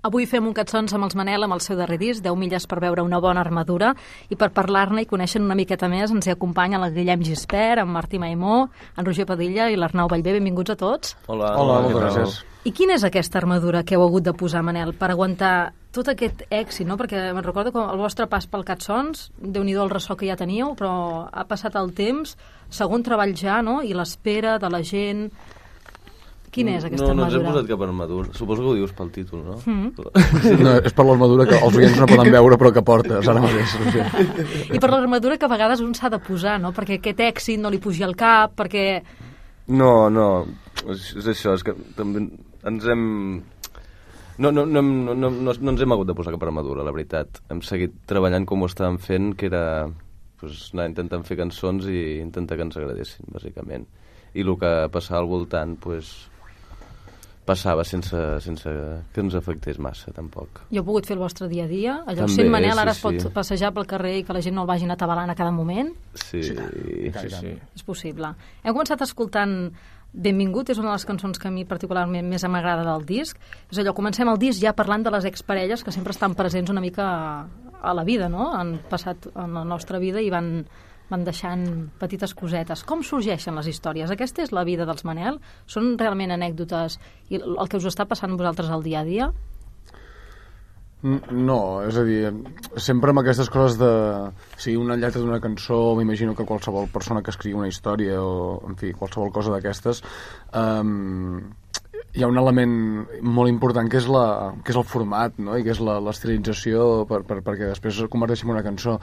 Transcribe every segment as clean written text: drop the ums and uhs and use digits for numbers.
Avui fem un Cançons amb els Manel amb el seu darrer disc, 10 milles per veure una bona armadura, i per parlar-ne i conèixer una miqueta més ens hi acompanyen el Guillem Gispert, en Martí Maimó, en Roger Padilla i l'Arnau Vallvé. Benvinguts a tots. Hola, moltes gràcies. I quina és aquesta armadura que heu hagut de posar, Manel, per aguantar tot aquest èxit, no? Perquè me'n recordo que el vostre pas pel Cançons, Déu-n'hi-do el ressò que ja teníeu, però ha passat el temps, segon treball ja, no? I l'espera de la gent. Quina és aquesta armadura? No ens hem posat cap armadura. Suposo que ho dius pel títol, no? No, és per l'armadura que els oients no poden veure però que portes ara mateix. I per l'armadura que a vegades un s'ha de posar, no? Perquè aquest èxit no li pugi al cap, perquè... No, és això, és que també ens hem... No ens hem hagut de posar cap armadura, la veritat. Hem seguit treballant com ho estàvem fent, que era anar intentant fer cançons i intentar que ens agradessin, bàsicament. I el que passava al voltant, passava sense que ens afectés massa, tampoc. I heu pogut fer el vostre dia a dia? Allò També, sent Manel, ara sí, es pot passejar pel carrer i que la gent no el vagin atabalant a cada moment? Sí. És possible. Hem començat escoltant Benvingut, és una de les cançons que a mi particularment més m'agrada del disc. És allò, comencem el disc ja parlant de les exparelles que sempre estan presents una mica a la vida, no? Han passat en la nostra vida i van deixant petites cosetes. Com sorgeixen les històries? Aquesta és la vida dels Manel? Són realment anècdotes i el que us està passant vosaltres al dia a dia? No, és a dir, sempre amb aquestes coses de... Si una lletra d'una cançó, m'imagino que qualsevol persona que escriu una història o, en fi, qualsevol cosa d'aquestes, hi ha un element molt important que és el format, no? I que és l'estilització perquè després es converteixi en una cançó.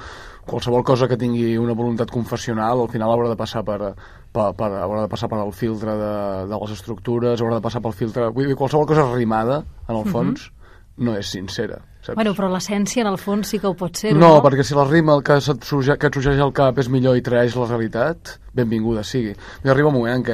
Qualsevol cosa que tingui una voluntat confessional al final haurà de passar haurà de passar per el filtre de les estructures, haurà de passar pel filtre... Vull dir, qualsevol cosa rimada, en el fons, no és sincera, saps? Bueno, però l'essència, en el fons, sí que ho pot ser, no? No, perquè si la rima que et sorgeix al cap és millor i traeix la realitat, benvinguda sigui. I arriba un moment en què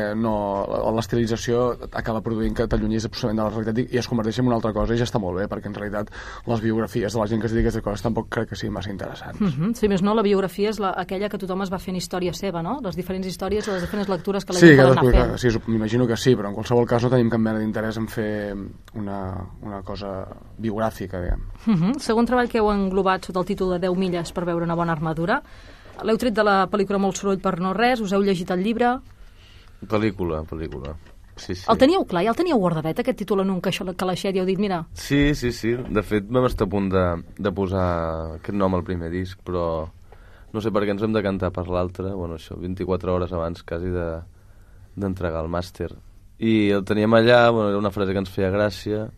l'estilització acaba produint que t'allunyis absolutament de la realitat i es converteix en una altra cosa i ja està molt bé, perquè en realitat les biografies de la gent que es dedica a aquestes coses tampoc crec que siguin massa interessants. Si més no, la biografia és aquella que tothom es va fent història seva, no? Les diferents històries, les diferents lectures que la gent pot anar fent. Sí, m'imagino que sí, però en qualsevol cas no tenim cap mena d'interès en fer una cosa biogràfica, diguem. Segon treball que heu englobat sota el títol de 10 milles per veure una bona armadura. L'heu tret de la pel·lícula Molt soroll per no res, us heu llegit el llibre? Pel·lícula. Sí. El teníeu clar? Ja el teníeu guardadet, aquest títol en un calaixet i heu dit, mira... Sí. De fet, vam estar a punt de posar aquest nom al primer disc, però no sé per què ens hem de cantar per l'altre, bueno, això, 24 hores abans quasi d'entregar el màster. I el teníem allà, bueno, era una frase que ens feia gràcia,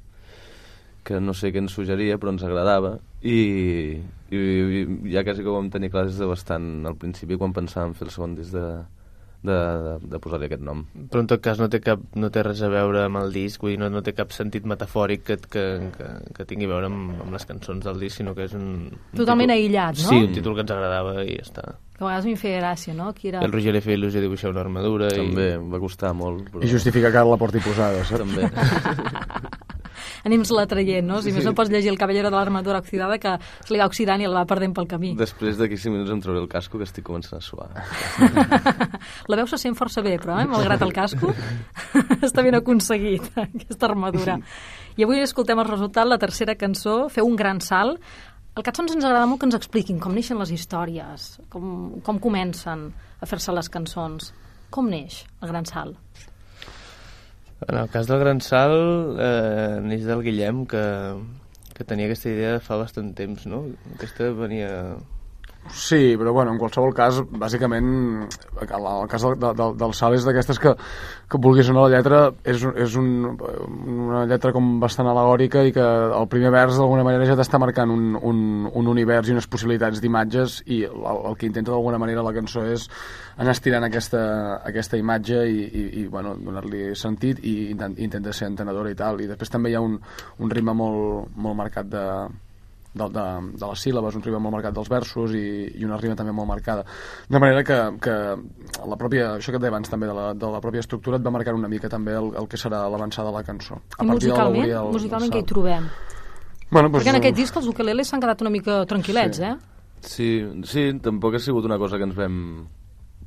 que no sé què ens suggeria, però ens agradava, i ja quasi que ho vam tenir clar des de bastant al principi, quan pensàvem fer el segon disc de posar-li aquest nom. Però en tot cas no té res a veure amb el disc, vull dir, no té cap sentit metafòric que tingui a veure amb les cançons del disc, sinó que és un totalment títol, aïllat, no? Sí, un títol que ens agradava i ja està. Que a vegades m'hi feia gràcia, no? El Roger li feia il·lusió dibuixar una armadura. També, va costar molt. Però... I justificar que ara la porti posada, saps? També. Anem-se-la traient, no? Si més no pots llegir El caballero de l'armadura oxidada, que se li va oxidant i el va perdent pel camí. Després d'aquí 5 minuts em trauré el casco, que estic començant a suar. La veu se sent força bé, però, malgrat el casco, està ben aconseguit, aquesta armadura. I avui escoltem el resultat, la tercera cançó, Feu un gran salt. Al Cançons ens agrada molt que ens expliquin com neixen les històries, com comencen a fer-se les cançons. Com neix el gran salt? En el cas del Gran Salt, neix del Guillem, que tenia aquesta idea de fa bastant temps, no? Aquesta venia... Sí, però bueno, en qualsevol cas, bàsicament, el cas del salt és d'aquestes que vulguis o no, la lletra és una lletra com bastant al·legòrica i que el primer vers d'alguna manera ja t'està marcant un univers i unes possibilitats d'imatges i el que intenta d'alguna manera la cançó és anar estirant aquesta imatge i bueno, donar-li sentit i intenta ser entenedora i tal. I després també hi ha un ritme molt marcat de les síl·labes, un ritme molt marcat dels versos i una rima també molt marcada. De manera que la pròpia, això que et deia abans també de la pròpia estructura et va marcar una mica també el que serà l'avançada de la cançó. I musicalment què hi trobem? Bueno, perquè en aquest disc els ukeleles s'han quedat una mica tranquil·lets, Sí, tampoc ha sigut una cosa que ens vam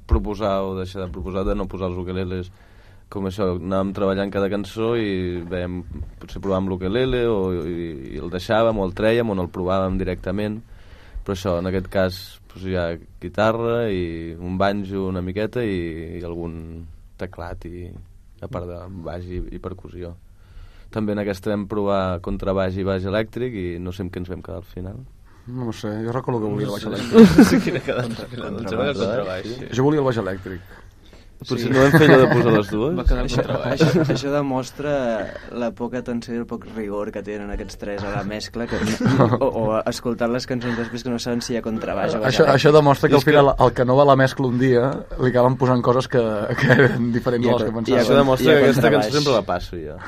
proposar o deixar de proposar de no posar els ukeleles. com això, anàvem treballant cada cançó i veiem, potser provàvem l'ukelele i el deixàvem o el trèiem o no el provàvem directament, però això, en aquest cas hi ha guitarra i un banjo una miqueta i algun teclat i a part de baix i percussió. També en aquesta vam provar contrabaix i baix elèctric i no sé amb què ens vam quedar al final. No sé, jo recordo que volia el baix elèctric. No sé quina quedat al final, em sembla que el contrabaix. Jo volia el baix elèctric. Potser no vam fer allò de posar les dues? Va quedar el contrabaix. Això demostra la poca atenció i el poc rigor que tenen aquests tres a la mescla o escoltant les cançons després que no saben si hi ha contrabaix o baix elèctric. Això demostra que al final el que no va a la mescla un dia li acaben posant coses que eren diferents de les que pensava. Això demostra que aquesta cançó sempre la passo jo.